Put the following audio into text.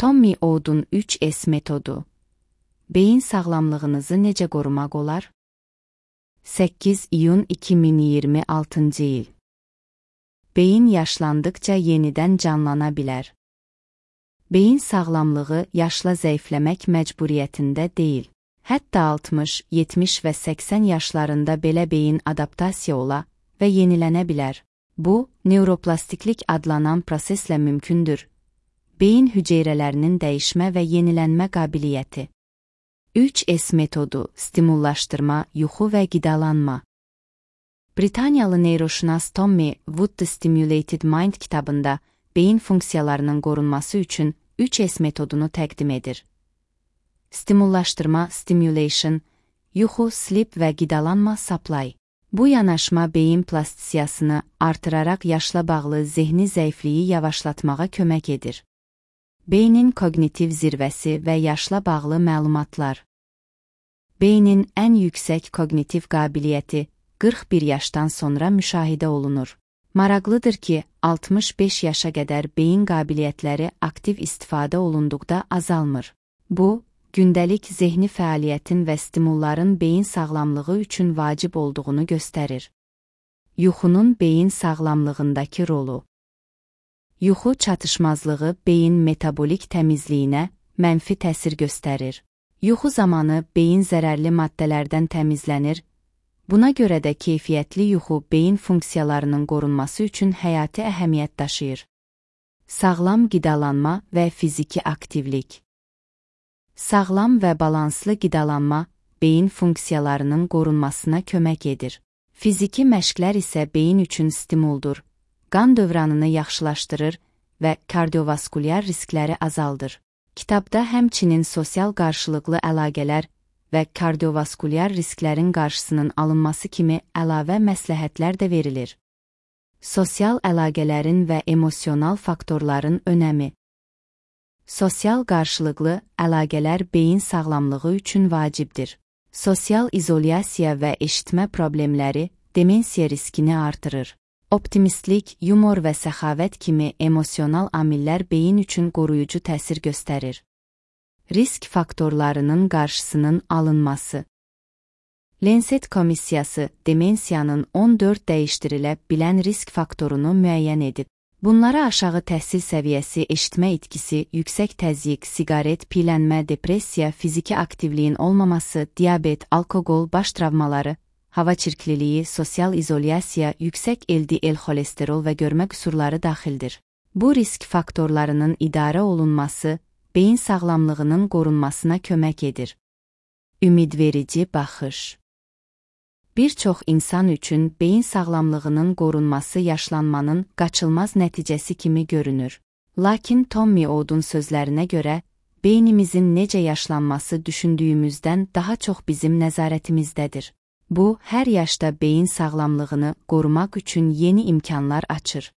Tommy Oud'un 3S metodu. Beyin sağlamlığınızı necə qorumaq olar? 8 iyun 2026 il. Beyin yaşlandıkça yenidən canlana bilər. Beyin sağlamlığı yaşla zəifləmək məcburiyyətində deyil. Hətta 60, 70 və 80 yaşlarında belə beyin adaptasiya ola və yenilənə bilər. Bu, neuroplastiklik adlanan proseslə mümkündür. Beyin hüceyrələrinin dəyişmə və yenilənmə qabiliyyəti. 3S metodu, stimullaşdırma, yuxu və qidalanma. Britaniyalı neyroşünas Tommy Wood The Stimulated Mind kitabında beyin funksiyalarının qorunması üçün 3S metodunu təqdim edir. Stimullaşdırma, stimulation, yuxu, sleep və qidalanma, supply. Bu yanaşma beyin plastisiyasını artıraraq yaşla bağlı zehni zəifliyi yavaşlatmağa kömək edir. Beynin kognitiv zirvəsi və yaşla bağlı məlumatlar. Beynin ən yüksək kognitiv qabiliyyəti 41 yaşdan sonra müşahidə olunur. Maraqlıdır ki, 65 yaşa qədər beyin qabiliyyətləri aktiv istifadə olunduqda azalmır. Bu, gündəlik zehni fəaliyyətin və stimulların beyin sağlamlığı üçün vacib olduğunu göstərir. Yuxunun beyin sağlamlığındakı rolu. Yuxu çatışmazlığı beyin metabolik təmizliyinə mənfi təsir göstərir. Yuxu zamanı beyin zərərli maddələrdən təmizlənir. Buna görə də keyfiyyətli yuxu beyin funksiyalarının qorunması üçün həyati əhəmiyyət daşıyır. Sağlam qidalanma və fiziki aktivlik. Sağlam və balanslı qidalanma beyin funksiyalarının qorunmasına kömək edir. Fiziki məşqlər isə beyin üçün stimuldur, qan dövranını yaxşılaşdırır və kardiovaskulyar riskləri azaldır. Kitabda həmçinin sosial qarşılıqlı əlaqələr və kardiovaskulyar risklərin qarşısının alınması kimi əlavə məsləhətlər də verilir. Sosial əlaqələrin və emosional faktorların önəmi. Sosial qarşılıqlı əlaqələr beyin sağlamlığı üçün vacibdir. Sosial izolyasiya və eşitmə problemləri demensiya riskini artırır. Optimistlik, yumor və səxavət kimi emosional amillər beyin üçün qoruyucu təsir göstərir. Risk faktorlarının qarşısının alınması. Lancet komissiyası demensiyanın 14 dəyişdirilə bilən risk faktorunu müəyyən edib. Bunlara aşağı təhsil səviyyəsi, eşitmə itkisi, yüksək təzyiq, siqaret, piyələnmə, depressiya, fiziki aktivliyin olmaması, diabet, alkoqol, baş travmaları, hava çirkliliyi, sosial izolyasiya, yüksək LDL xolesterol və görmə qüsurları daxildir. Bu risk faktorlarının idarə olunması, beyin sağlamlığının qorunmasına kömək edir. Ümidverici baxış. Bir çox insan üçün beyin sağlamlığının qorunması yaşlanmanın qaçılmaz nəticəsi kimi görünür. Lakin Tommy Oud'un sözlərinə görə, beynimizin necə yaşlanması düşündüyümüzdən daha çox bizim nəzarətimizdədir. Bu, hər yaşda beyin sağlamlığını qorumaq üçün yeni imkanlar açır.